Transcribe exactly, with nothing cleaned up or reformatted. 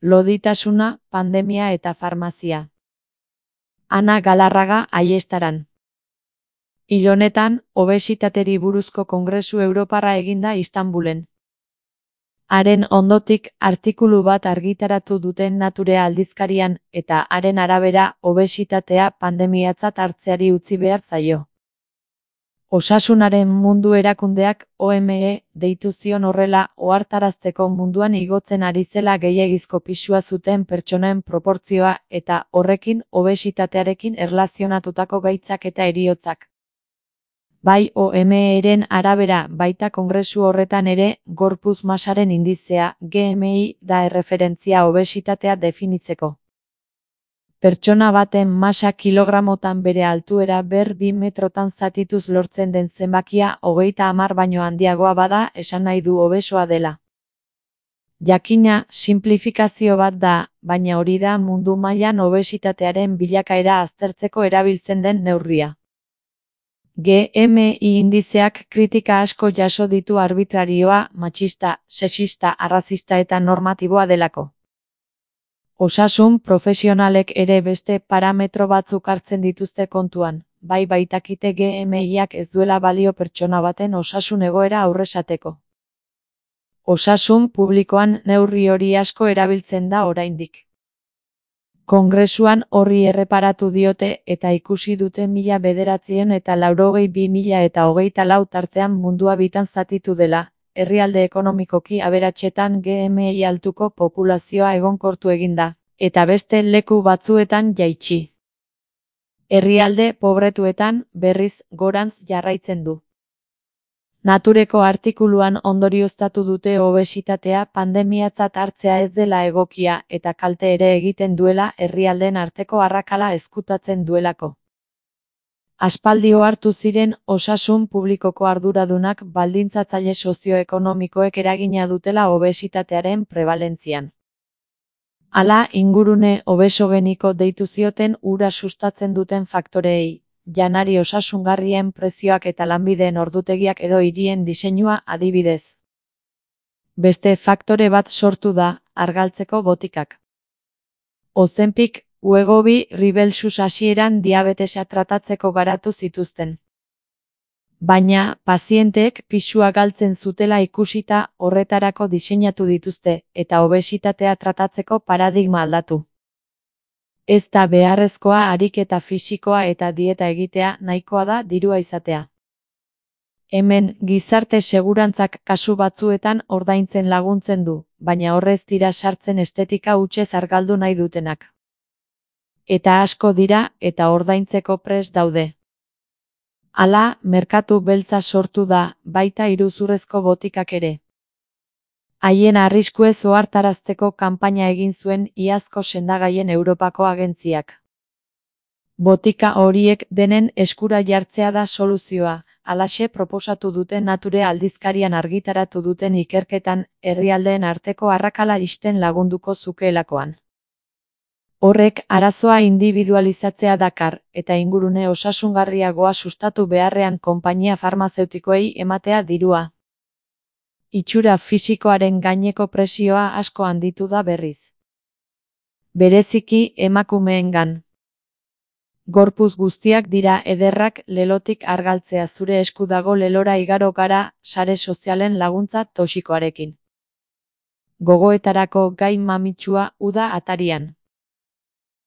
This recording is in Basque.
loditasuna, pandemia eta farmazia. Ana Galarraga Aiestaran. Hil honetan, obesitateri buruzko kongresu europarra eginda Istanbulen. Haren ondotik artikulu bat argitaratu duten Nature aldizkarian eta haren arabera obesitatea pandemiatzat hartzeari utzi behar zaio. Osasunaren Mundu Erakundeak O M E deitu zion horrela ohartarazteko munduan igotzen ari zela gehiegizko pisua zuten pertsonen proportzioa eta horrekin obesitatearekin erlazionatutako gaitzak eta heriotzak. Bai O M E-ren arabera baita kongresu horretan ere, gorputz masaren indizea, G M I, da erreferentzia obesitatea definitzeko. Pertsona baten masa kilogramotan bere altuera ber bi metrotan zatituz lortzen den zenbakia hogeita hamar baino handiagoa bada esan nahi du obesoa dela. Jakina, simplifikazio bat da, baina hori da mundu mailan obesitatearen bilakaera aztertzeko erabiltzen den neurria. G M I indizeak kritika asko jaso ditu arbitrarioa, matxista, sexista, arrazista eta normatiboa delako. Osasun profesionalek ere beste parametro batzuk hartzen dituzte kontuan, bai baitakite G M I-ak ez duela balio pertsona baten osasun egoera aurresateko. Osasun publikoan neurri hori asko erabiltzen da oraindik. Kongresuan horri erreparatu diote eta ikusi dute mila bederatziehun eta laurogei bi mila eta hogeita lau tartean mundua bitan zatitu dela, herrialde ekonomikoki aberatsetan G M I altuko populazioa egonkortu eginda, eta beste leku batzuetan jaitsi. Herrialde pobretuetan, berriz, gorantz jarraitzen du. Natureko artikuluan ondorioztatu dute obesitatea pandemiatzat hartzea ez dela egokia eta kalte ere egiten duela herrialdeen arteko arrakala ezkutatzen duelako. Aspaldi ohartu ziren osasun publikoko arduradunak baldintzatzaile sozioekonomikoek eragina dutela obesitatearen prebalentzian. Hala, ingurune obesogeniko deitu zioten hura sustatzen duten faktoreei, janari osasungarrien prezioak eta lanbideen ordutegiak edo hirien diseinua adibidez. Beste faktore bat sortu da, argaltzeko botikak. Ozempic, Wegovy, Rybelsus hasieran diabetesa tratatzeko garatu zituzten. Baina, pazienteek pisua galtzen zutela ikusita horretarako diseinatu dituzte eta obesitatea tratatzeko paradigma aldatu. Ez da beharrezkoa ariketa fisikoa eta dieta egitea, nahikoa da dirua izatea. Hemen, gizarte segurantzak kasu batzuetan ordaintzen laguntzen du, baina horrez dira sartzen estetika hutsez argaldu nahi dutenak. Eta asko dira eta ordaintzeko prest daude. Hala, merkatu beltza sortu da, baita iruzurrezko botikak ere. Haien arriskuez ohartarazteko kanpaina egin zuen iazko sendagaien Europako agentziak. Botika horiek denen eskura jartzea da soluzioa, halaxe proposatu dute Nature aldizkarian argitaratu duten ikerketan herrialdeen arteko arrakala ixten lagunduko zukeelakoan. Horrek arazoa indibidualizatzea dakar, eta ingurune osasungarriagoa sustatu beharrean konpainia farmazeutikoei ematea dirua. Itxura fisikoaren gaineko presioa asko handitu da berriz. Bereziki emakumeengan. Gorputz guztiak dira ederrak lelotik argaltzea zure esku dago lelora igaro gara sare sozialen laguntza toxikoarekin. Gogoetarako gai mamitsua uda atarian.